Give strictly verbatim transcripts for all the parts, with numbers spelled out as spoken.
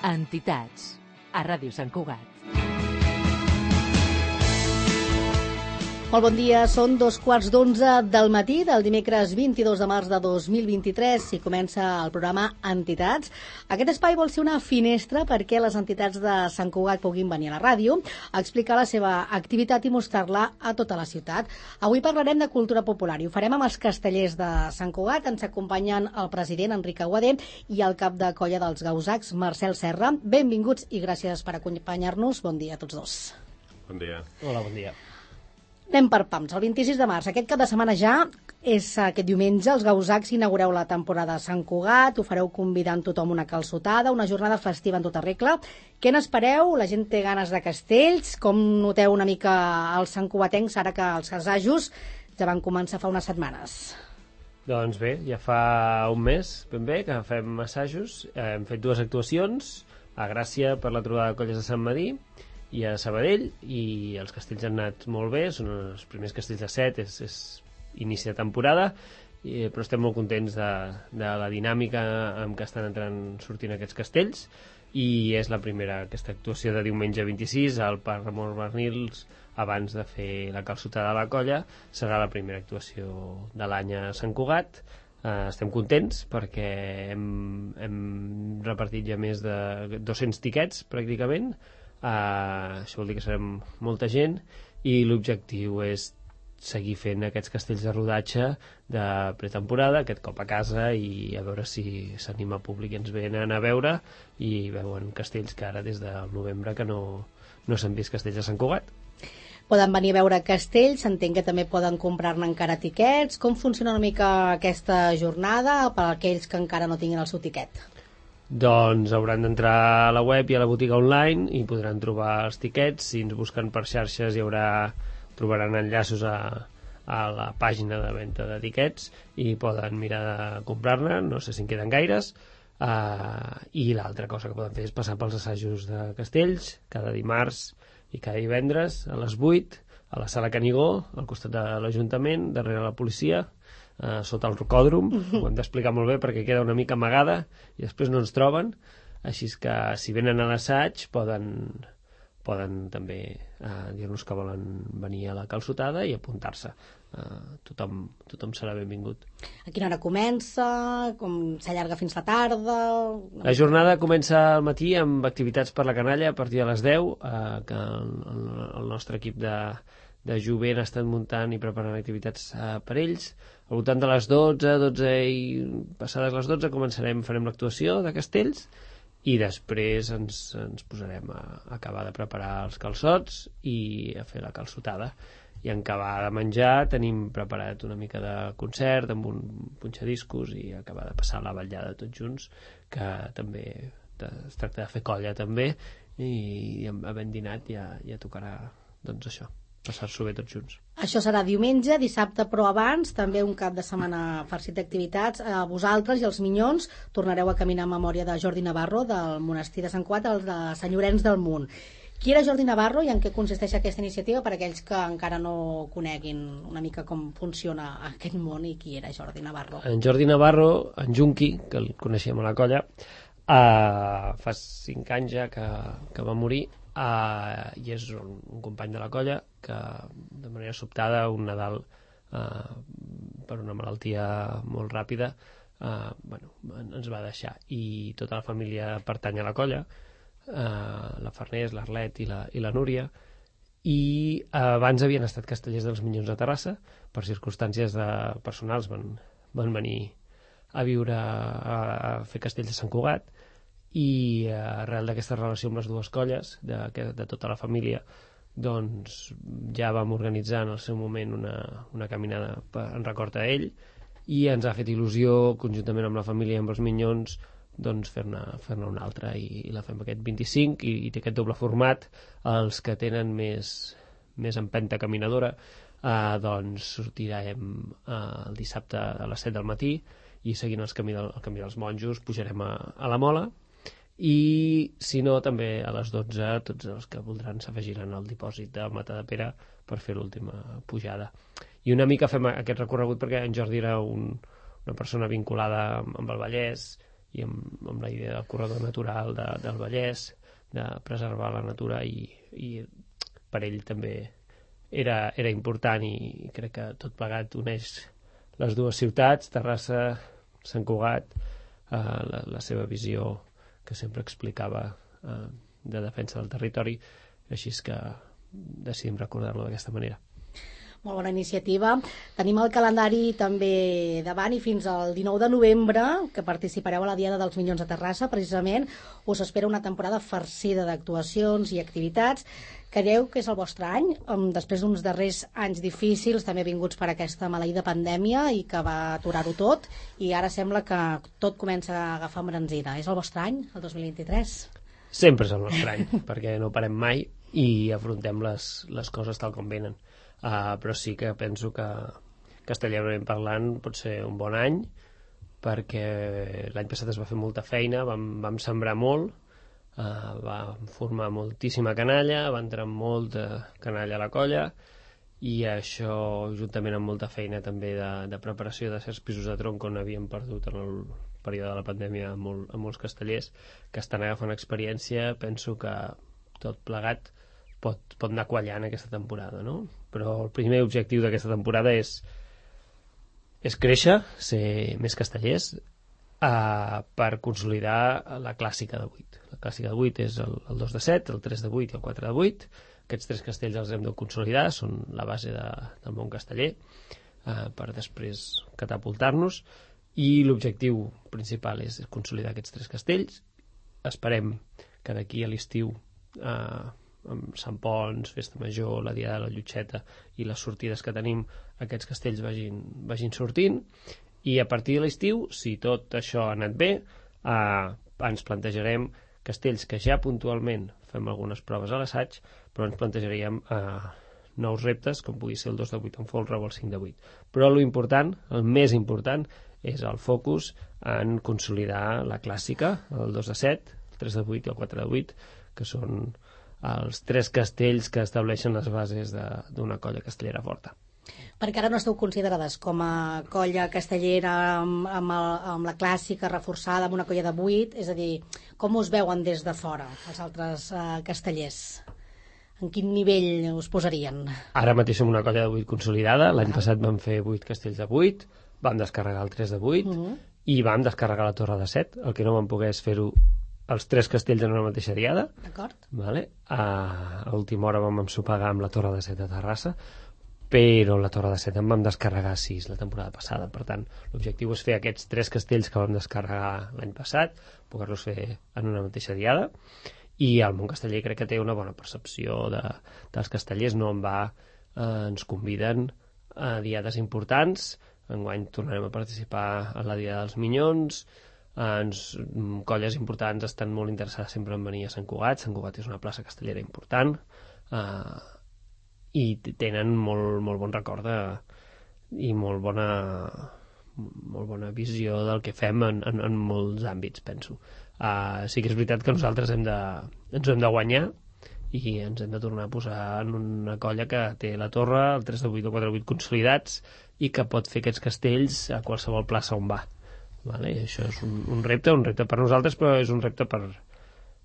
Entitats, a Ràdio Sant Cugat. Molt bon dia, són dos quarts d'onze del matí del dimecres vint-i-dos de març de dos mil vint-i-tres i comença el programa Entitats. Aquest espai vol ser una finestra perquè les entitats de Sant Cugat puguin venir a la ràdio a explicar la seva activitat i mostrar-la a tota la ciutat. Avui parlarem de cultura popular i ho farem amb els castellers de Sant Cugat. Ens acompanyen el president Enric Aguadé i el cap de colla dels Gausacs, Marcel Serra. Benvinguts i gràcies per acompanyar-nos. Bon dia a tots dos. Bon dia. Hola, bon dia. Anem per pams. El vint-i-sis de març, aquest cap de setmana ja, és aquest diumenge, els Gausacs inaugureu la temporada a Sant Cugat, ho fareu convidant tothom una calçotada, una jornada festiva en tota regla. Què n'espereu? La gent té ganes de castells? Com noteu una mica els santcugatencs ara que els assajos ja van començar fa unes setmanes? Doncs bé, ja fa un mes, ben bé, que fem assajos. Eh, hem fet dues actuacions, a Gràcia per la trobada de colles de Sant Medir i a Sabadell, i els castells han anat molt bé, són els primers castells de set, és, és inici de temporada, i, però estem molt contents de, de la dinàmica amb què estan entrant sortint aquests castells, i és la primera, aquesta actuació de diumenge vint-i-sis al Parc Ramon Barnils, abans de fer la calçotada de la colla. Serà la primera actuació de l'any a Sant Cugat. Uh, estem contents perquè hem, hem repartit ja més de dos-cents tiquets pràcticament. Uh, això vol dir que serem molta gent i l'objectiu és seguir fent aquests castells de rodatge de pretemporada, aquest cop a casa, i a veure si s'anima públic i ens venen a veure i veuen castells que ara des del novembre que no, no s'han vist castells a Sant Cugat. Poden venir a veure castells, entenc que també poden comprar-ne encara tiquets. Com funciona una mica aquesta jornada per a aquells que encara no tinguin el seu tiquet? Doncs hauran d'entrar a la web i a la botiga online i podran trobar els tiquets. Si ens busquen per xarxes hi haurà, trobaran enllaços a, a la pàgina de venda de tiquets i poden mirar de comprar-ne, no sé si en queden gaires. Uh, i l'altra cosa que poden fer és passar pels assajos de castells cada dimarts i cada divendres a les vuit a la sala Canigó, al costat de l'Ajuntament, darrere la policia, Uh, sota el rocòdrom. Ho hem d'explicar molt bé perquè queda una mica amagada i després no ens troben, així que si venen a l'assaig poden, poden també uh, dir-nos que volen venir a la calçotada i apuntar-se. Uh, tothom, tothom serà benvingut. A quina hora comença? Com s'allarga fins la tarda? La jornada comença al matí amb activitats per la canalla a partir de les deu, uh, que el, el, el nostre equip de, de jovent ha estat muntant i preparant activitats uh, per ells. Al voltant de les dotze, dotze i passades les dotze començarem, farem l'actuació de castells i després ens, ens posarem a, a acabar de preparar els calçots i a fer la calçotada. I en acabar de menjar tenim preparat una mica de concert amb un punxadiscos i acabar de passar la vetllada tots junts, que també es tracta de fer colla també, i havent dinat ja, ja tocarà doncs això, passar-s'ho bé tots junts. Això serà diumenge, dissabte, però abans també un cap de setmana farcit d'activitats. Eh, vosaltres i els Minyons tornareu a caminar en memòria de Jordi Navarro del monestir de Sant Cugat, el de Sant Llorenç del Munt. Qui era Jordi Navarro i en què consisteix aquesta iniciativa per a aquells que encara no coneguin una mica com funciona aquest món i qui era Jordi Navarro? En Jordi Navarro, en Junqui, que el coneixíem a la colla, eh, fa cinc anys ja que, que va morir. Uh, i és un, un company de la colla que de manera sobtada un Nadal uh, per una malaltia molt ràpida uh, bueno, ens va deixar, i tota la família pertany a la colla, uh, la Farners, l'Arlet i la, i la Núria, i uh, abans havien estat castellers dels Minyons a Terrassa, per circumstàncies de personals van, van venir a viure a, a fer castells a Sant Cugat, i uh, arrel d'aquesta relació amb les dues colles de, de tota la família, doncs ja vam organitzar en el seu moment una, una caminada per, en record a ell, i ens ha fet il·lusió conjuntament amb la família i amb els Minyons doncs fer-ne fer-ne una altra, i, i la fem aquest vint-i-cinc, i, i té aquest doble format. Els que tenen més, més empenta caminadora uh, doncs sortirem uh, el dissabte a les set del matí i seguint el camí, del, el camí dels monjos pujarem a, a la Mola, i si no també a les dotze tots els que voldran s'afegiran al dipòsit de Matadepera per fer l'última pujada. I una mica fem aquest recorregut perquè en Jordi era un, una persona vinculada amb el Vallès i amb, amb la idea del corredor natural de, del Vallès, de preservar la natura, i, i per ell també era, era important, i crec que tot plegat uneix les dues ciutats, Terrassa, Sant Cugat, eh, la, la seva visió que sempre explicava eh, de defensa del territori, així és que decidim recordar-lo d'aquesta manera. Molt bona iniciativa. Tenim el calendari també davant, i fins al dinou de novembre, que participareu a la Diada dels Minyons de Terrassa, precisament, us espera una temporada farcida d'actuacions i activitats. Creieu que és el vostre any, després d'uns darrers anys difícils, també vinguts per aquesta maleïda pandèmia i que va aturar-ho tot, i ara sembla que tot comença a agafar embranzida. És el vostre any, el dos mil vint-i-tres? Sempre és el nostre any, perquè no parem mai i afrontem les, les coses tal com venen. Uh, però sí que penso que castellanament parlant pot ser un bon any, perquè l'any passat es va fer molta feina, vam, vam sembrar molt, uh, vam formar moltíssima canalla, va entrar molta canalla a la colla, i això, juntament amb molta feina també de, de preparació de certs pisos de tronc on havíem perdut en el període de la pandèmia a, molt, a molts castellers que estan agafant experiència, penso que tot plegat pot, pot anar quallant aquesta temporada, no? Però el primer objectiu d'aquesta temporada és, és créixer, ser més castellers, uh, per consolidar la clàssica de vuit. La clàssica de vuit és el, el dos de set, el tres de vuit i el quatre de vuit. Aquests tres castells els hem de consolidar, són la base de, del món casteller, uh, per després catapultar-nos, i l'objectiu principal és consolidar aquests tres castells. Esperem que d'aquí a l'estiu, uh, amb Sant Pons, Festa Major, la Diada de la Llotxeta i les sortides que tenim, aquests castells vagin, vagin sortint, i a partir de l'estiu, si tot això ha anat bé, eh, ens plantejarem castells que ja puntualment fem algunes proves a l'assaig, però ens plantejaríem eh, nous reptes, com pugui ser el dos de vuit en folre o el cinc de vuit. Però lo important, el més important, és el focus en consolidar la clàssica, el dos de set, el tres de vuit i el quatre de vuit, que són els tres castells que estableixen les bases d'una colla castellera forta. Perquè ara no esteu considerades com a colla castellera amb, amb, el, amb la clàssica reforçada, amb una colla de vuit, és a dir, com us veuen des de fora els altres uh, castellers? En quin nivell us posarien? Ara mateix som una colla de vuit consolidada, l'any passat vam fer vuit castells de vuit, vam descarregar el tres de vuit, uh -huh. i vam descarregar la torre de set, el que no vam poder és fer-ho els tres castells en una mateixa diada. D'acord. Vale? A última hora vam ensopegar amb la torre de set de Terrassa, però la torre de set en vam descarregar sis la temporada passada. Per tant, l'objectiu és fer aquests tres castells que vam descarregar l'any passat, poder-los fer en una mateixa diada, i el món casteller crec que té una bona percepció de, dels castellers, no en va, eh, ens conviden a diades importants. Enguany tornarem a participar a la Diada dels Minyons. Ens, colles importants estan molt interessades sempre en venir a Sant Cugat. Sant Cugat és una plaça castellera important, eh, i tenen molt, molt bon record de, i molt bona, molt bona visió del que fem en, en, en molts àmbits, penso. Uh, sí que és veritat que nosaltres hem de, ens ho hem de guanyar, i ens hem de tornar a posar en una colla que té la torre, el tres de vuit o quatre de vuit consolidats, i que pot fer aquests castells a qualsevol plaça on va. Vale? I això és un, un repte, un repte per nosaltres, però és un repte per,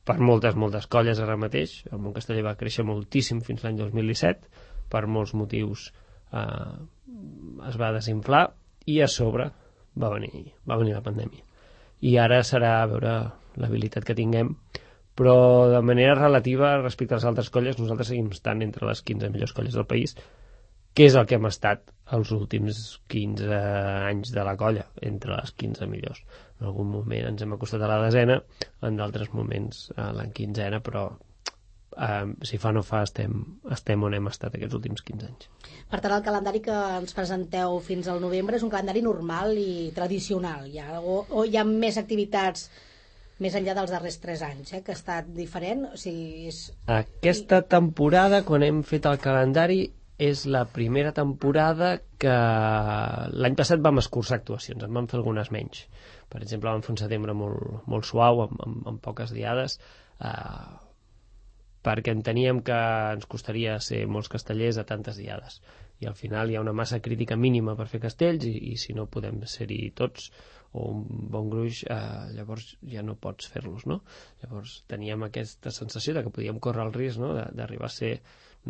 per moltes, moltes colles ara mateix. El món casteller va créixer moltíssim fins l'any dos mil disset, per molts motius eh, es va desinflar, i a sobre va venir, va venir la pandèmia. I ara serà a veure l'habilitat que tinguem, però de manera relativa respecte a les altres colles, nosaltres seguim estant entre les quinze millors colles del país, que és el que hem estat els últims quinze anys de la colla, entre les quinze millors. En algun moment ens hem acostat a la desena, en d'altres moments a la quinzena, però eh, si fa no fa estem, estem on hem estat aquests últims quinze anys. Per tant, el calendari que ens presenteu fins al novembre és un calendari normal i tradicional, ja, o, o hi ha més activitats més enllà dels darrers tres anys, eh, que ha estat diferent? O sigui, és... Aquesta temporada, quan hem fet el calendari, és la primera temporada que l'any passat vam escurçar actuacions, en vam fer algunes menys. Per exemple, vam fer un setembre molt, molt suau, amb, amb, amb poques diades, eh, perquè enteníem que ens costaria ser molts castellers a tantes diades. i al final hi ha una massa crítica mínima per fer castells i, i si no podem ser-hi tots o un bon gruix, eh, llavors ja no pots fer-los, no? Llavors teníem aquesta sensació de que podíem córrer el risc, no?, d'arribar a ser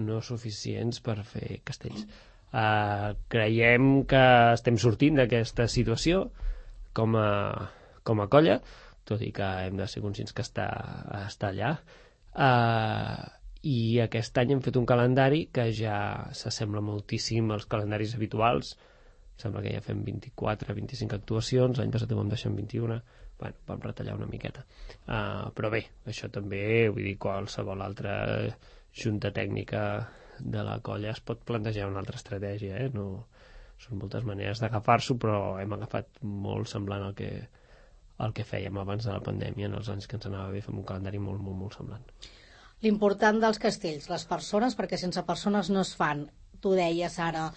no suficients per fer castells. Eh, creiem que estem sortint d'aquesta situació com a, com a colla, tot i que hem de ser conscients que està, està allà. Eh, I aquest any hem fet un calendari que ja s'assembla moltíssim als calendaris habituals. Sembla que ja fem vint-i-quatre vint-i-cinc actuacions, l'any passat vam deixar en vint-i-una, bueno, vam retallar una miqueta. Uh, però bé, això també, vull dir, qualsevol altra junta tècnica de la colla es pot plantejar una altra estratègia, eh? No, són moltes maneres d'agafar-s'ho, però hem agafat molt semblant al que, al que fèiem abans de la pandèmia, en els anys que ens anava bé, fem un calendari molt, molt, molt semblant. L'important dels castells, les persones, perquè sense persones no es fan. Tu deies ara,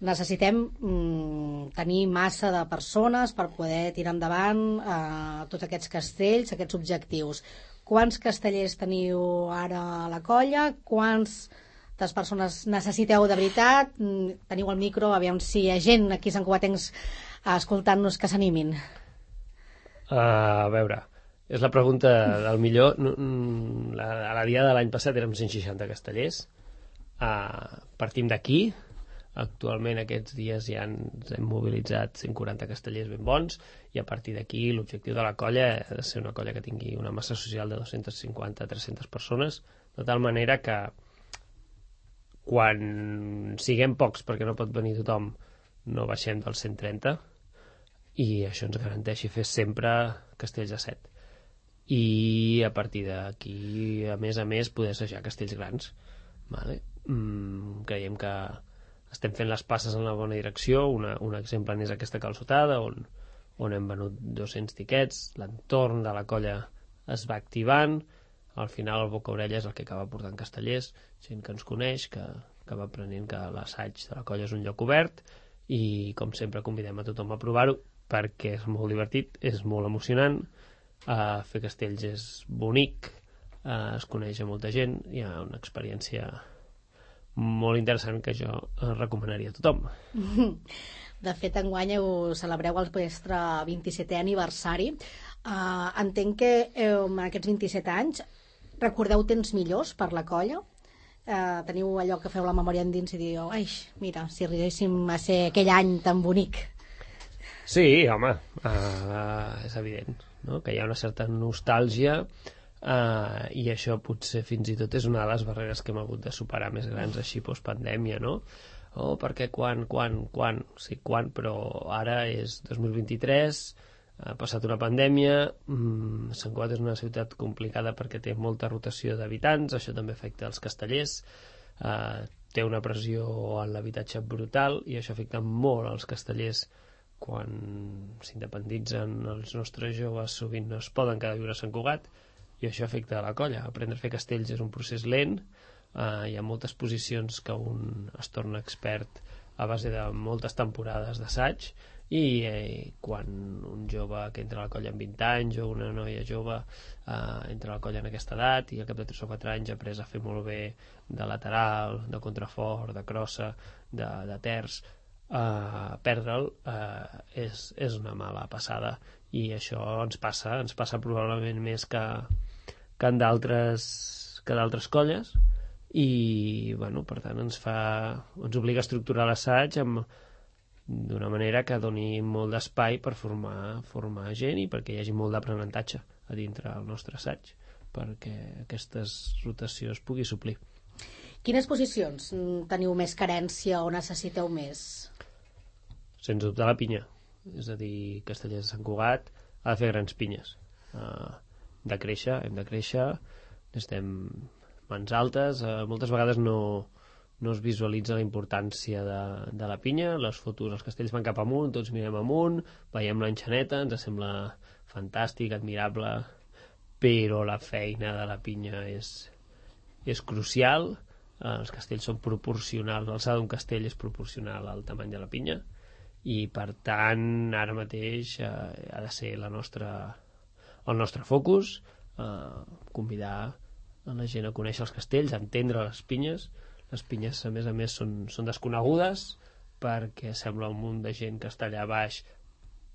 necessitem mm, tenir massa de persones per poder tirar endavant eh, tots aquests castells, aquests objectius. Quants castellers teniu ara a la colla? Quantes persones necessiteu de veritat? Teniu el micro, aviam si hi ha gent aquí a Sant Cugatencs escoltant-nos que s'animin. Uh, a veure, és la pregunta del millor. La, a la dia de l'any passat érem cent seixanta castellers. Uh, partim d'aquí. Actualment aquests dies ja ens hem mobilitzat cent quaranta castellers ben bons i a partir d'aquí l'objectiu de la colla ha de ser una colla que tingui una massa social de dues-centes cinquanta a tres-centes persones, de tal manera que quan siguem pocs perquè no pot venir tothom no baixem dels cent trenta i això ens garanteixi fer sempre castells a set. I a partir d'aquí, a més a més, poder assajar castells grans. Vale? Mm, creiem que estem fent les passes en la bona direcció. Una, un exemple n'és aquesta calçotada, on, on hem venut dos-cents tiquets, l'entorn de la colla es va activant, al final el boca-orella és el que acaba portant castellers, gent que ens coneix, que, que va aprenent que l'assaig de la colla és un lloc obert, i com sempre convidem a tothom a provar-ho, perquè és molt divertit, és molt emocionant, uh, fer castells és bonic, uh, es coneix a molta gent, hi ha una experiència molt interessant que jo recomanaria a tothom. De fet, enguany ho celebreu el vostre vint-i-setè aniversari. Uh, entenc que eh, en aquests vint-i-set anys recordeu temps millors per la colla? Uh, teniu allò que feu la memòria endins i diu, ai, mira, si arribéssim a ser aquell any tan bonic. Sí, home, uh, és evident, no?, que hi ha una certa nostàlgia. Uh, i això potser fins i tot és una de les barreres que hem hagut de superar més grans així postpandèmia, no? Oh, perquè quan, quan, quan? Sí, quan, però ara és dos mil vint-i-tres, ha passat una pandèmia, mm, Sant Cugat és una ciutat complicada perquè té molta rotació d'habitants, això també afecta els castellers, uh, té una pressió en l'habitatge brutal i això afecta molt als castellers. Quan s'independitzen els nostres joves sovint no es poden quedar a viure a Sant Cugat, i això afecta a la colla. Aprendre a fer castells és un procés lent, uh, hi ha moltes posicions que un es torna expert a base de moltes temporades d'assaig i eh, quan un jove que entra a la colla amb vint anys o una noia jove uh, entra a la colla en aquesta edat i al cap de tres o quatre anys ha après a fer molt bé de lateral, de contrafort, de crossa, de, de terç, uh, perdre'l uh, és, és una mala passada i això ens passa, ens passa probablement més que, que en d'altres que d'altres colles i bueno, per tant ens fa ens obliga a estructurar l'assaig amb d'una manera que doni molt d'espai per formar, formar gent i perquè hi hagi molt d'aprenentatge a dintre del nostre assaig perquè aquestes rotacions pugui suplir. Quines posicions teniu més carència o necessiteu més? Sens dubte la pinya, és a dir, Castellers de Sant Cugat ha de fer grans pinyes, uh, de créixer, hem de créixer, estem mans altes, uh, moltes vegades no, no es visualitza la importància de, de la pinya, les fotos, els castells van cap amunt, tots mirem amunt, veiem l'enxaneta, ens sembla fantàstic, admirable, però la feina de la pinya és, és crucial, uh, els castells són proporcionals, l'alçada d'un castell és proporcional al tamany de la pinya, i per tant ara mateix eh, ha de ser la nostra, el nostre focus, eh, convidar a la gent a conèixer els castells, a entendre les pinyes, Les pinyes, a més a més, són, són desconegudes perquè sembla un munt de gent que està allà baix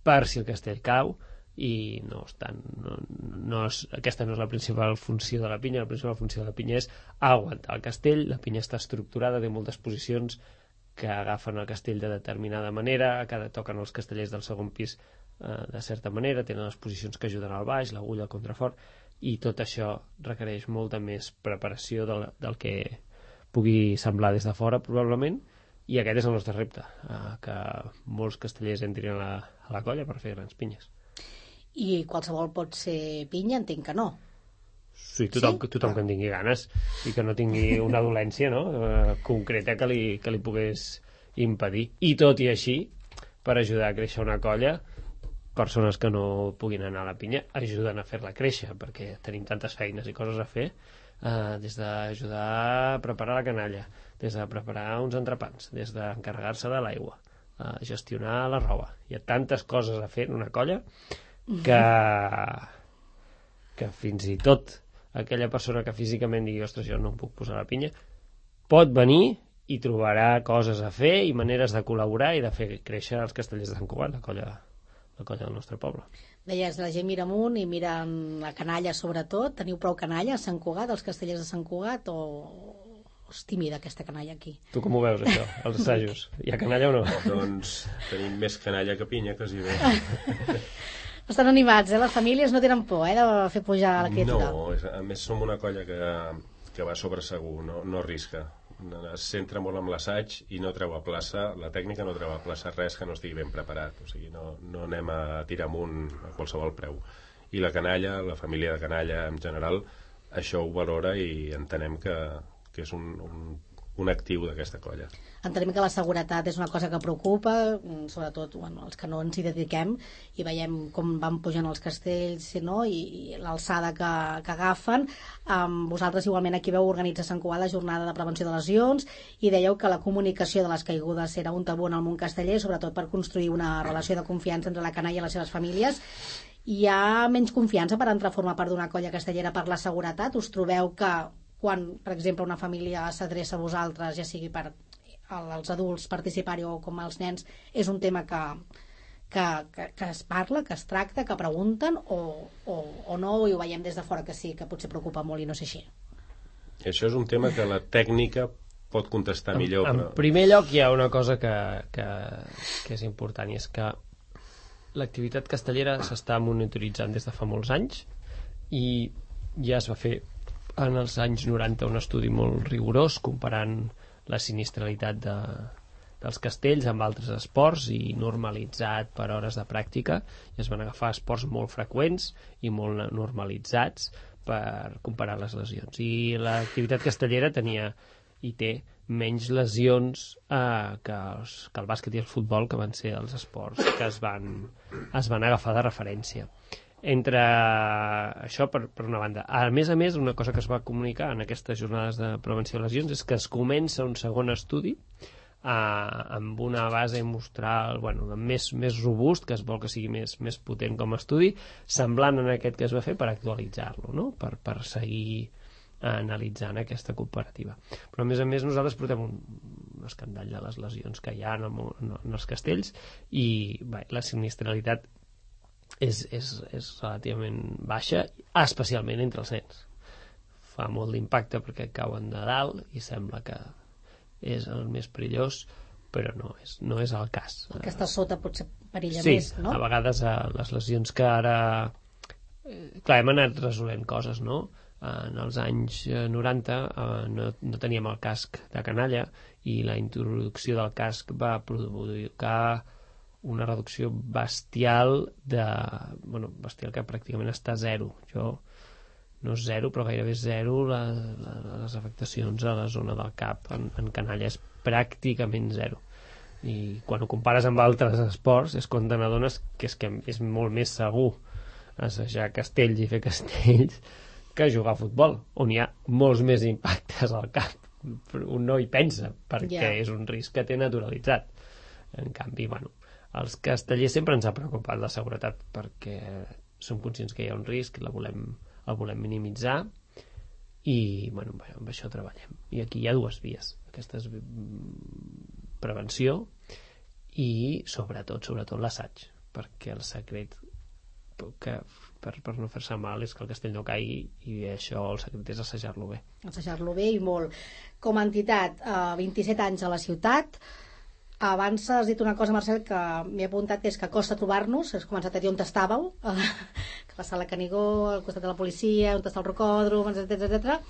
per si el castell cau, i no estan, no, no és, aquesta no és la principal funció de la pinya. La principal funció de la pinya és aguantar el castell. La pinya està estructurada, té moltes posicions que agafen el castell de determinada manera, cada toquen els castellers del segon pis eh, de certa manera, tenen les posicions que ajuden al baix, l'agulla, el contrafort, i tot això requereix molta més preparació del, del que pugui semblar des de fora, probablement, i aquest és el nostre repte, eh, que molts castellers entrin a la, a la colla per fer grans pinyes. I qualsevol pot ser pinya? Entenc que no. Sí, tothom, sí? tothom que en tingui ganes i que no tingui una dolència, no?, eh, concreta que li, que li pogués impedir. I tot i així, per ajudar a créixer una colla, persones que no puguin anar a la pinya ajuden a fer-la créixer, perquè tenim tantes feines i coses a fer, eh, des d'ajudar a preparar la canalla, des de preparar uns entrepans, des d'encarregar-se de l'aigua, a gestionar la roba. Hi ha tantes coses a fer en una colla que, que fins i tot aquella persona que físicament digui ostres, jo no em puc posar la pinya, pot venir i trobarà coses a fer i maneres de col·laborar i de fer créixer els castellers de Sant Cugat, la colla, la colla del nostre poble. Deies, la gent mira amunt i mira la canalla sobretot. Teniu prou canalla a Sant Cugat, els castellers de Sant Cugat, o és tímida aquesta canalla aquí? Tu com ho veus, això, els assajos? Hi ha canalla o no? Doncs tenim més canalla que pinya, quasi bé. Estan animats, eh? Les famílies no tenen por, eh, de fer pujar la criatura. No, és, a més som una colla que, que va sobre segur, no, no arrisca. Es centra molt en l'assaig i no treu a plaça, la tècnica no treu a plaça res que no estigui ben preparat, o sigui, no, no anem a tirar amunt a qualsevol preu. I la canalla, la família de canalla en general, això ho valora i entenem que, que és un, un, un actiu d'aquesta colla. Entenem que la seguretat és una cosa que preocupa, sobretot bueno, els que no ens hi dediquem, i veiem com van pujant els castells, no? I, i l'alçada que, que agafen. Um, vosaltres igualment aquí veu organitzar a Sant Cugat la jornada de prevenció de lesions i dèieu que la comunicació de les caigudes era un tabú en el món casteller, sobretot per construir una relació de confiança entre la canalla i les seves famílies. Hi ha menys confiança per entrar a formar part d'una colla castellera per la seguretat? Us trobeu que quan, per exemple, una família s'adreça a vosaltres, ja sigui per als adults participar-hi o com als nens, és un tema que, que, que, que es parla, que es tracta, que pregunten, o, o, o no, i ho veiem des de fora que sí, que potser preocupa molt i no sé així? Això és un tema que la tècnica pot contestar en, millor. En però... primer lloc hi ha una cosa que, que, que és important, i és que l'activitat castellera s'està monitoritzant des de fa molts anys i ja es va fer en els anys noranta un estudi molt rigorós comparant la sinistralitat de, dels castells amb altres esports i normalitzat per hores de pràctica, i es van agafar esports molt freqüents i molt normalitzats per comparar les lesions, i l'activitat castellera tenia i té menys lesions eh, que, els, que el bàsquet i el futbol, que van ser els esports que es van, es van agafar de referència. Entre això, per, per una banda. A més a més, una cosa que es va comunicar en aquestes jornades de prevenció de lesions és que es comença un segon estudi eh, amb una base mostral bueno, més, més robust, que es vol que sigui més, més potent com a estudi, semblant en aquest que es va fer, per actualitzar-lo, no? per, per seguir analitzant aquesta cooperativa. Però a més a més nosaltres portem un, un escandall de les lesions que hi ha en, el, en els castells, i bé, la sinistralitat és, és, és relativament baixa, especialment entre els nens. Fa molt d'impacte perquè cauen de dalt i sembla que és el més perillós, però no és, no és el cas. El que està sota potser perilla sí, més, no? A vegades eh, les lesions que ara eh, clar, hem anat resolent coses, no? En els anys noranta eh, no, no teníem el casc de canalla, i la introducció del casc va provocar una reducció bestial de, bueno, bestial que pràcticament està a zero. Jo no és zero, però gairebé zero la, la, les afectacions a la zona del cap en, en canalla, és pràcticament zero. I quan ho compares amb altres esports és quan te n'adones que és, que és molt més segur assajar castells i fer castells que jugar a futbol, on hi ha molts més impactes al cap. Un no hi pensa, perquè yeah. és un risc que té naturalitzat. En canvi, bueno, els castellers sempre ens ha preocupat la seguretat, perquè som conscients que hi ha un risc, la volem, el volem minimitzar, i bueno, amb això treballem. I aquí hi ha dues vies. Aquesta és prevenció i sobretot, sobretot l'assaig, perquè el secret que per, per no fer-se mal és que el castell no caigui, i això el secret és assajar-lo bé. Assajar-lo bé i molt. Com a entitat, eh, vint-i-set anys a la ciutat. Abans has dit una cosa, Marcel, que m'he apuntat, que és que costa trobar-nos. Has començat a dir on estàveu, eh, que la sala Canigó, al costat de la policia, on està el rocòdrom, etcètera, etcètera.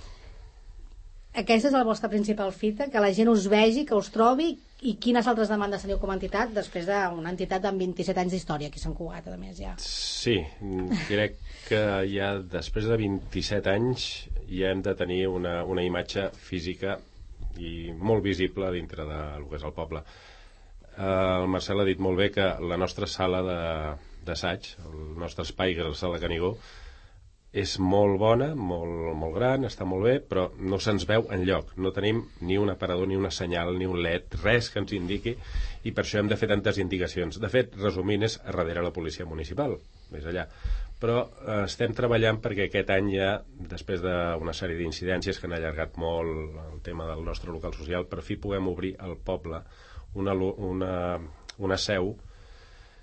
Aquesta és la vostra principal fita, que la gent us vegi, que us trobi. I quines altres demandes teniu com a entitat després d'una entitat amb vint-i-set anys d'història aquí a Sant Cugat, a més, ja? Sí, crec que ja després de vint-i-set anys ja hem de tenir una, una imatge física i molt visible dintre del que és el poble. El Marcel ha dit molt bé que la nostra sala d'assaig, el nostre espai, que és la sala Canigó, és molt bona, molt, molt gran, està molt bé, però no se'ns veu enlloc. No tenim ni un aparador, ni una senyal, ni un L E D, res que ens indiqui, i per això hem de fer tantes indicacions. De fet, resumint, és a darrere la policia municipal, més allà. Però eh, estem treballant perquè aquest any ja, després d'una sèrie d'incidències que han allargat molt el tema del nostre local social, per fi puguem obrir al poble una, una, una seu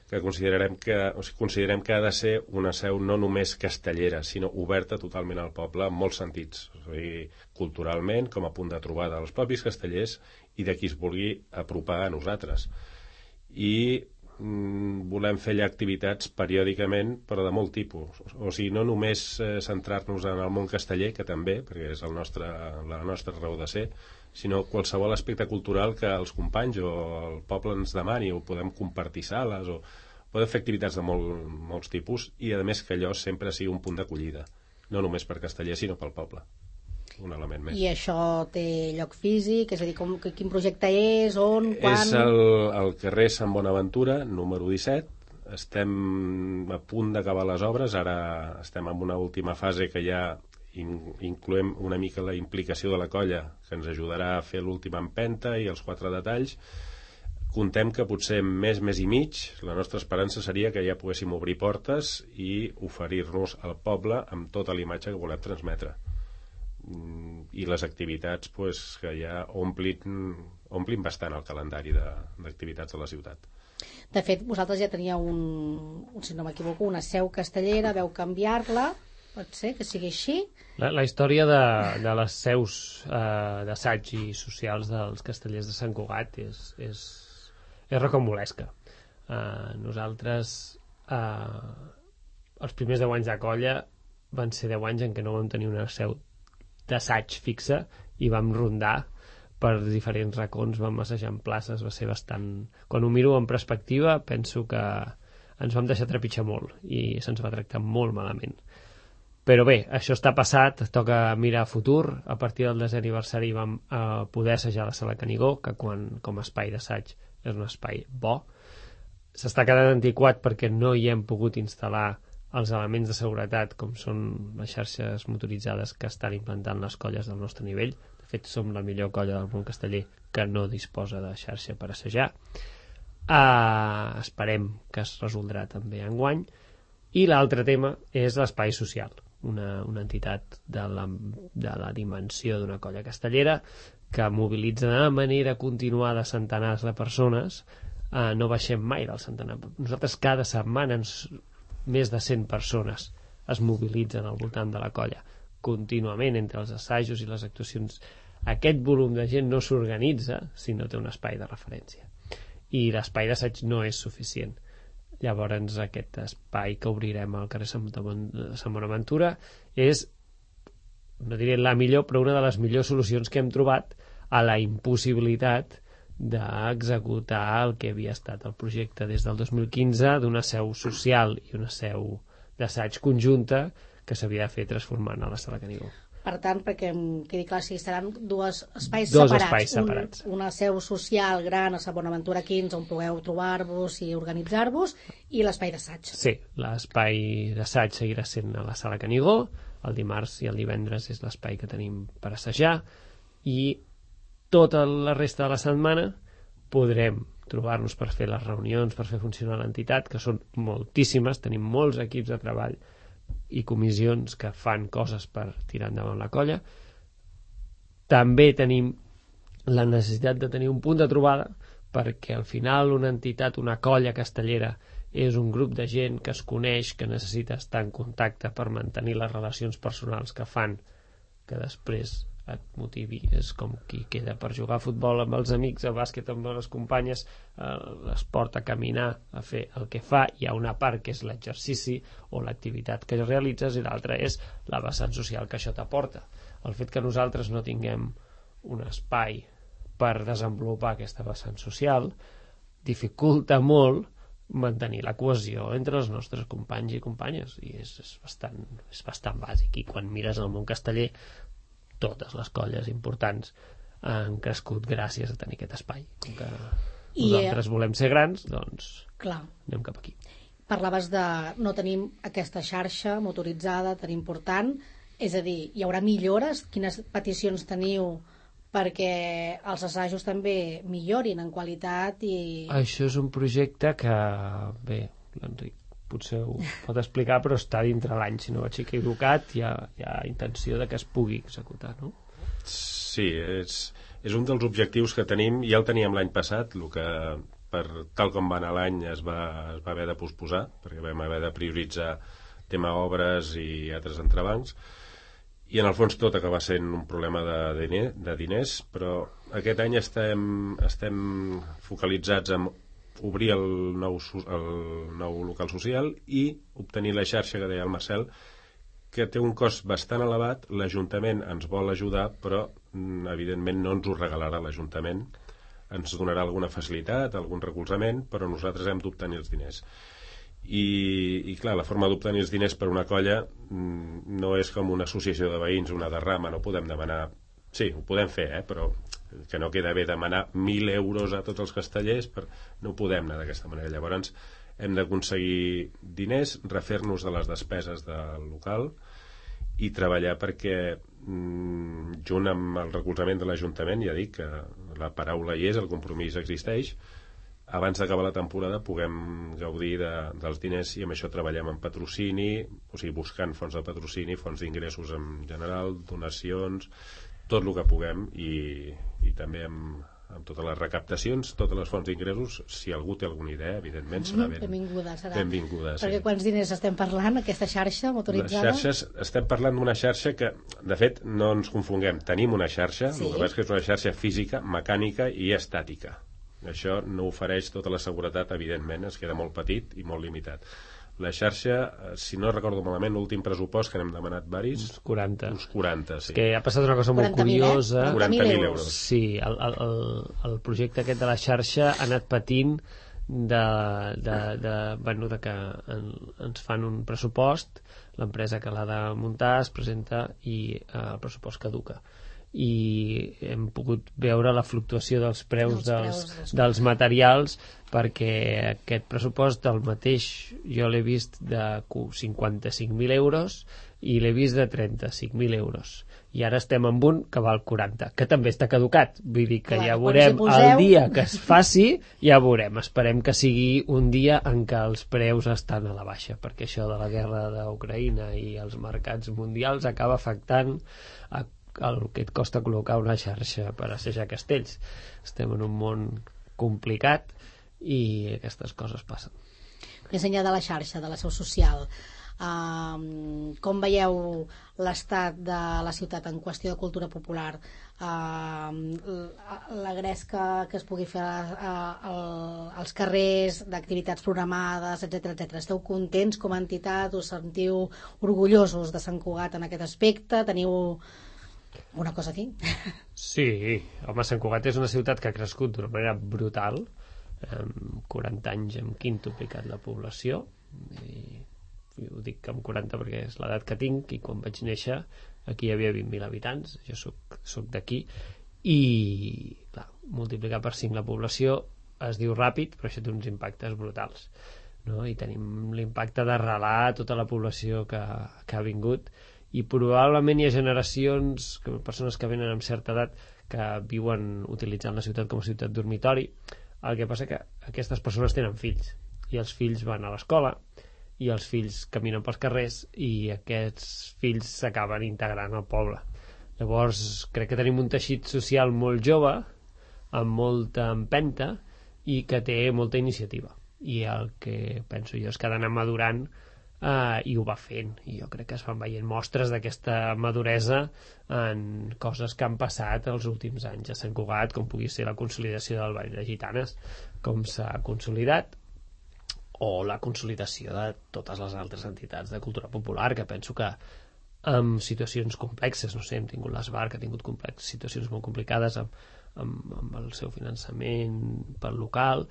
que considerem que, o sigui, considerem que ha de ser una seu no només castellera, sinó oberta totalment al poble en molts sentits, o sigui, culturalment, com a punt de trobada dels propis castellers i de qui es vulgui apropar a nosaltres. I mm, volem fer allà activitats periòdicament, però de molt tipus. O sigui, no només eh, centrar-nos en el món casteller, que també, perquè és el nostre, la nostra raó de ser, sinó qualsevol aspecte cultural que els companys o el poble ens demani, o podem compartir sales, o podem fer activitats de molt, molts tipus, i a més que allò sempre sigui un punt d'acollida, no només per castellers, sinó pel poble. Un element més. I això té lloc físic? És a dir, com, quin projecte és, on, quan? És el, el carrer Sant Bonaventura, número disset. Estem a punt d'acabar les obres, ara estem en una última fase que ja incloem una mica la implicació de la colla, que ens ajudarà a fer l'última empenta i els quatre detalls. Contem que potser més, més i mig, la nostra esperança seria que ja poguéssim obrir portes i oferir-nos al poble amb tota la imatge que volem transmetre. I les activitats pues, que ja omplin, omplin bastant el calendari d'activitats de, de la ciutat. De fet, vosaltres ja teníeu un, si no m'equivoco, una seu castellera, veu canviar-la. Pot ser que sigui així? La, la història de, de les seus eh, d'assaig i socials dels castellers de Sant Cugat és, és, és rocambolesca. Eh, nosaltres, eh, els primers deu anys de colla van ser deu anys en què no vam tenir una seu d'assaig fixa i vam rondar per diferents racons, vam assajar en places, va ser bastant... Quan ho miro en perspectiva, penso que ens vam deixar trepitjar molt i se'ns va tractar molt malament. Però bé, això està passat, toca mirar a futur. A partir del desè aniversari vam eh, poder assajar la sala Canigó, que quan, com a espai d'assaig és un espai bo. S'està quedant antiquat perquè no hi hem pogut instal·lar els elements de seguretat com són les xarxes motoritzades que estan implantant les colles del nostre nivell. De fet, som la millor colla del món casteller que no disposa de xarxa per assajar. Eh, esperem que es resoldrà també enguany. I l'altre tema és l'espai social. Una, una entitat de la, de la dimensió d'una colla castellera que mobilitza de manera continuada centenars de persones. Eh, no baixem mai del centenar. Nosaltres cada setmana ens, més de cent persones es mobilitzen al voltant de la colla contínuament entre els assajos i les actuacions. Aquest volum de gent no s'organitza si no té un espai de referència, i l'espai d'assaig no és suficient. Llavors aquest espai que obrirem al carrer Sant Bonaventura és, no diré la millor, però una de les millors solucions que hem trobat a la impossibilitat d'executar el que havia estat el projecte des del dos mil quinze d'una seu social i una seu d'assaig conjunta que s'havia de fer transformant a la sala Canigó. Per tant, perquè em quedi clar, si seran dos espais dos separats. Espais separats. Un, una seu social gran a Sant Bonaventura quinze on pugueu trobar-vos i organitzar-vos, i l'espai d'assaig. Sí, l'espai d'assaig seguirà sent a la sala Canigó, el dimarts i el divendres és l'espai que tenim per assajar, i tota la resta de la setmana podrem trobar-nos per fer les reunions, per fer funcionar l'entitat, que són moltíssimes, tenim molts equips de treball i comissions que fan coses per tirar endavant la colla. També tenim la necessitat de tenir un punt de trobada, perquè al final una entitat, una colla castellera, és un grup de gent que es coneix, que necessita estar en contacte per mantenir les relacions personals que fan que després et motivi. És com qui queda per jugar a futbol amb els amics, a bàsquet amb les companyes, eh, l'esport, a caminar, a fer el que fa. Hi ha una part que és l'exercici o l'activitat que realitzes i l'altra és la vessant social que això t'aporta. El fet que nosaltres no tinguem un espai per desenvolupar aquesta vessant social dificulta molt mantenir la cohesió entre els nostres companys i companyes, i és, és, bastant, és bastant bàsic. I quan mires el món casteller, totes les colles importants han crescut gràcies a tenir aquest espai. Com que I, nosaltres volem ser grans, doncs clar, anem cap aquí. parlaves de no tenim aquesta xarxa motoritzada tan important, és a dir, hi haurà millores? Quines peticions teniu perquè els assajos també millorin en qualitat? I Això és un projecte que, bé, l'Enric potser ho pot explicar, però està dintre l'any, si no vaig equivocat, hi ha, hi ha intenció de que es pugui executar, no? Sí, és, és un dels objectius que tenim, ja el teníem l'any passat, el que per tal com va anar l'any es va, es va haver de posposar, perquè vam haver de prioritzar tema obres i altres entrebancs, i en el fons tot acaba sent un problema de, diner, de diners, però aquest any estem, estem focalitzats en obrir el nou, el nou local social i obtenir la xarxa que deia el Marcel, que té un cost bastant elevat. L'Ajuntament ens vol ajudar, però evidentment no ens ho regalarà l'Ajuntament, ens donarà alguna facilitat, algun recolzament, però nosaltres hem d'obtenir els diners. I, i clar, la forma d'obtenir els diners per una colla no és com una associació de veïns, una derrama, no podem demanar, sí, ho podem fer, eh, però que no queda bé demanar mil euros a tots els castellers, per... no podem anar d'aquesta manera. Llavors hem d'aconseguir diners, refer-nos de les despeses del local i treballar perquè, junt amb el recolzament de l'Ajuntament, ja dic que la paraula hi és, el compromís existeix, abans d'acabar la temporada puguem gaudir de, dels diners, i amb això treballem en patrocini, o sigui, buscant fons de patrocini, fons d'ingressos en general, donacions, tot el que puguem, i, i també amb, amb totes les recaptacions, totes les fonts d'ingressos. Si algú té alguna idea, evidentment serà ben, benvinguda, serà. benvinguda. Perquè sí. quants diners estem parlant, aquesta xarxa motoritzada? Les xarxes, estem parlant d'una xarxa que, de fet, no ens confonguem, tenim una xarxa, sí. El que és que és una xarxa física, mecànica i estàtica. Això no ofereix tota la seguretat, evidentment, es queda molt petit i molt limitat. La xarxa, si no recordo malament, l'últim pressupost que n'hem demanat varis... Uns quaranta. Uns quaranta, sí. És que ha passat una cosa molt curiosa. Eh? quaranta mil euros. Sí, el, el, el projecte aquest de la xarxa ha anat patint de, de, de, bueno, de que en, ens fan un pressupost, l'empresa que l'ha de muntar es presenta i eh, el pressupost caduca. I hem pogut veure la fluctuació dels preus, dels, dels, dels materials, perquè aquest pressupost del mateix jo l'he vist de cinquanta-cinc mil euros i l'he vist de trenta-cinc mil euros, i ara estem amb un que val quaranta, que també està caducat. Vull dir que clar, ja veurem poseu... el dia que es faci, ja veurem. Esperem que sigui un dia en què els preus estan a la baixa, perquè això de la guerra d'Ucraïna i els mercats mundials acaba afectant a el que et costa col·locar una xarxa per assajar castells. Estem en un món complicat i aquestes coses passen. Més enllà de la xarxa, de la seu social, uh, com veieu l'estat de la ciutat en qüestió de cultura popular? Uh, la gresca que es pugui fer uh, uh, als carrers, d'activitats programades, etcètera, etcètera. Esteu contents com a entitat? Us sentiu orgullosos de Sant Cugat en aquest aspecte? Teniu una cosa aquí? Sí, home, Sant Cugat és una ciutat que ha crescut d'una manera brutal. En quaranta anys hem quintuplicat la població, i ho dic amb quaranta perquè és l'edat que tinc, i quan vaig néixer aquí hi havia vint mil habitants, jo soc, soc d'aquí, i clar, multiplicar per cinc la població es diu ràpid, però això té uns impactes brutals, no? I tenim l'impacte d'arrelar tota la població que, que ha vingut, i probablement hi ha generacions, persones que venen amb certa edat, que viuen utilitzant la ciutat com a ciutat dormitori. El que passa que aquestes persones tenen fills, i els fills van a l'escola, i els fills caminen pels carrers i aquests fills s'acaben integrant al poble. Llavors crec que tenim un teixit social molt jove, amb molta empenta i que té molta iniciativa, i el que penso jo és que ha d'anar madurant, eh, i ho va fent, i jo crec que es van veient mostres d'aquesta maduresa en coses que han passat els últims anys a Sant Cugat, com pugui ser la consolidació del Ball de Gitanes, com s'ha consolidat, o la consolidació de totes les altres entitats de cultura popular, que penso que amb situacions complexes, no sé, hem tingut l'Esbar, que ha tingut complex, situacions molt complicades amb, amb, amb el seu finançament pel local,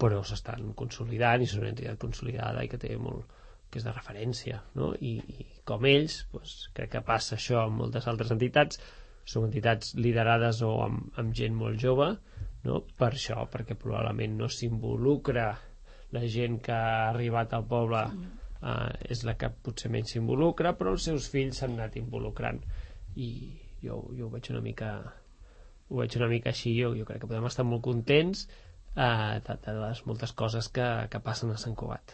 però s'estan consolidant i són una entitat consolidada i que té molt, que és de referència, no? I, i com ells, doncs, crec que passa això amb moltes altres entitats, són entitats liderades o amb, amb gent molt jove, no? Per això, perquè probablement no s'involucra la gent que ha arribat al poble, Uh, és la que potser menys s'involucra, però els seus fills s'han anat involucrant, i jo, jo ho veig una mica ho veig una mica així. Jo, jo crec que podem estar molt contents uh, de, de les moltes coses que, que passen a Sant Cugat.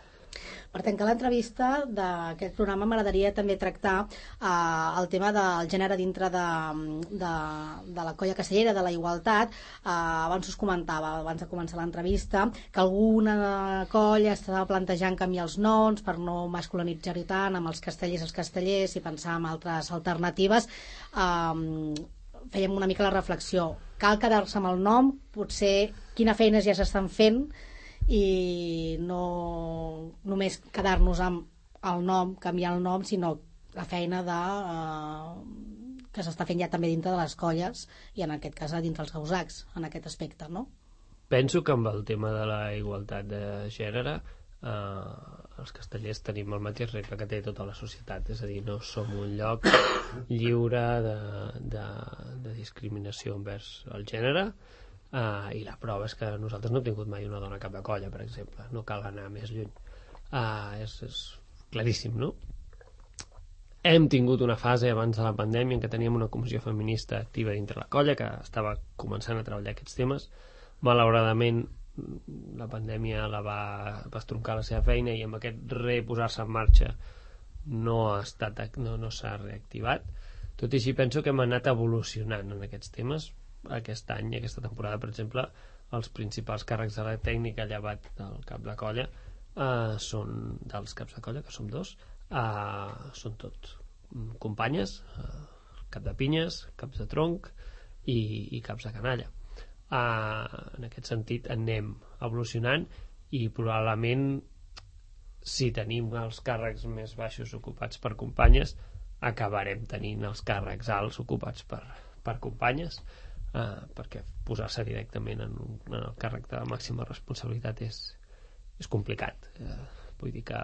Per tancar l'entrevista d'aquest programa m'agradaria també tractar eh, el tema del gènere dintre de, de, de la colla castellera, de la igualtat. Eh, abans us comentava, abans de començar l'entrevista, que alguna colla estava plantejant canviar els noms per no masculinitzar-ho tant amb els castellers i els castellers i pensar en altres alternatives. Eh, fèiem una mica la reflexió. Cal quedar-se amb el nom? Potser quina feines ja s'estan fent i no només quedar-nos amb el nom, canviar el nom, sinó la feina de, eh, que s'està fent ja també dintre de les colles i en aquest cas dintre els gausacs, en aquest aspecte, no? Penso que amb el tema de la igualtat de gènere, eh, els castellers tenim el mateix repte que té tota la societat, és a dir, no som un lloc lliure de, de, de discriminació envers el gènere. Uh, i la prova és que nosaltres no hem tingut mai una dona cap de colla, per exemple, no cal anar més lluny. Uh, és, és claríssim, no? Hem tingut una fase abans de la pandèmia en què teníem una comissió feminista activa dintre la colla que estava començant a treballar aquests temes. Malauradament la pandèmia la va, va estroncar la seva feina i amb aquest reposar-se en marxa no ha estat, no, no s'ha reactivat. Tot i així penso que hem anat evolucionant en aquests temes. Aquest any, aquesta temporada, per exemple, els principals càrrecs de la tècnica llevat del cap de colla, eh, són dels caps de colla, que som dos, eh, són tots companyes, eh, cap de pinyes, caps de tronc i, i caps de canalla. Eh, en aquest sentit anem evolucionant i probablement si tenim els càrrecs més baixos ocupats per companyes acabarem tenint els càrrecs alts ocupats per, per companyes. Uh, perquè posar-se directament en, un, en el càrrec de màxima responsabilitat és, és complicat. Uh, vull dir que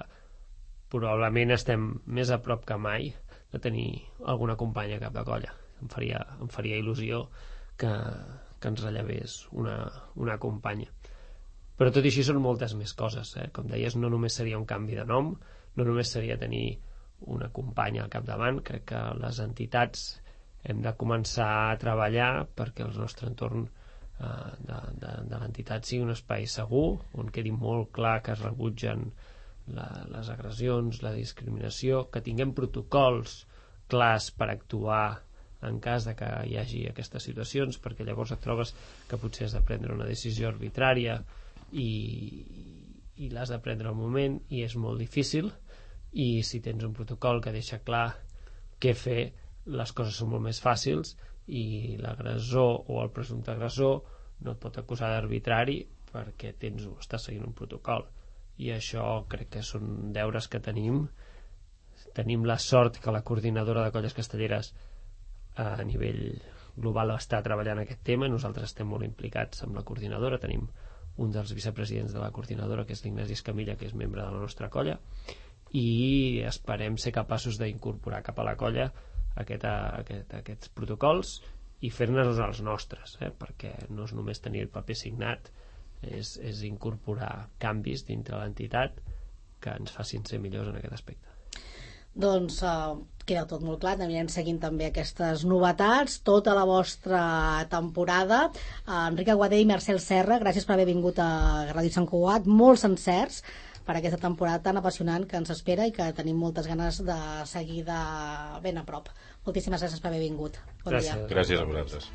probablement estem més a prop que mai de tenir alguna companya cap de colla. Em faria, em faria il·lusió que, que ens rellevés una, una companya. Però tot i així són moltes més coses. Eh? Com deies, no només seria un canvi de nom, no només seria tenir una companya al capdavant. Crec que les entitats hem de començar a treballar perquè el nostre entorn eh, de, de, de l'entitat sigui un espai segur, on quedi molt clar que es rebutgen la, les agressions, la discriminació, que tinguem protocols clars per actuar en cas de que hi hagi aquestes situacions, perquè llavors et trobes que potser has de prendre una decisió arbitrària i, i l'has de prendre al moment i és molt difícil, i si tens un protocol que deixa clar què fer, les coses són molt més fàcils i l'agressor o el presumpte agressor no et pot acusar d'arbitrari perquè tens, estàs seguint un protocol, i això crec que són deures que tenim. Tenim la sort que la coordinadora de colles castelleres a nivell global està treballant aquest tema. Nosaltres estem molt implicats amb la coordinadora, tenim un dels vicepresidents de la coordinadora que és l'Ignasi Escamilla, que és membre de la nostra colla, i esperem ser capaços d'incorporar cap a la colla Aquest, aquest, aquests protocols i fer-ne-los els nostres, eh? Perquè no és només tenir el paper signat, és, és incorporar canvis dintre l'entitat que ens facin ser millors en aquest aspecte. Doncs uh, queda tot molt clar, anirem seguint també aquestes novetats, tota la vostra temporada. uh, Enric Aguadé i Marcel Serra, gràcies per haver vingut a Ràdio Sant Cugat, molts encerts per aquesta temporada tan apassionant que ens espera i que tenim moltes ganes de seguir de ben a prop. Moltíssimes gràcies per haver vingut. Bon Gràcies. dia. Gràcies a vosaltres.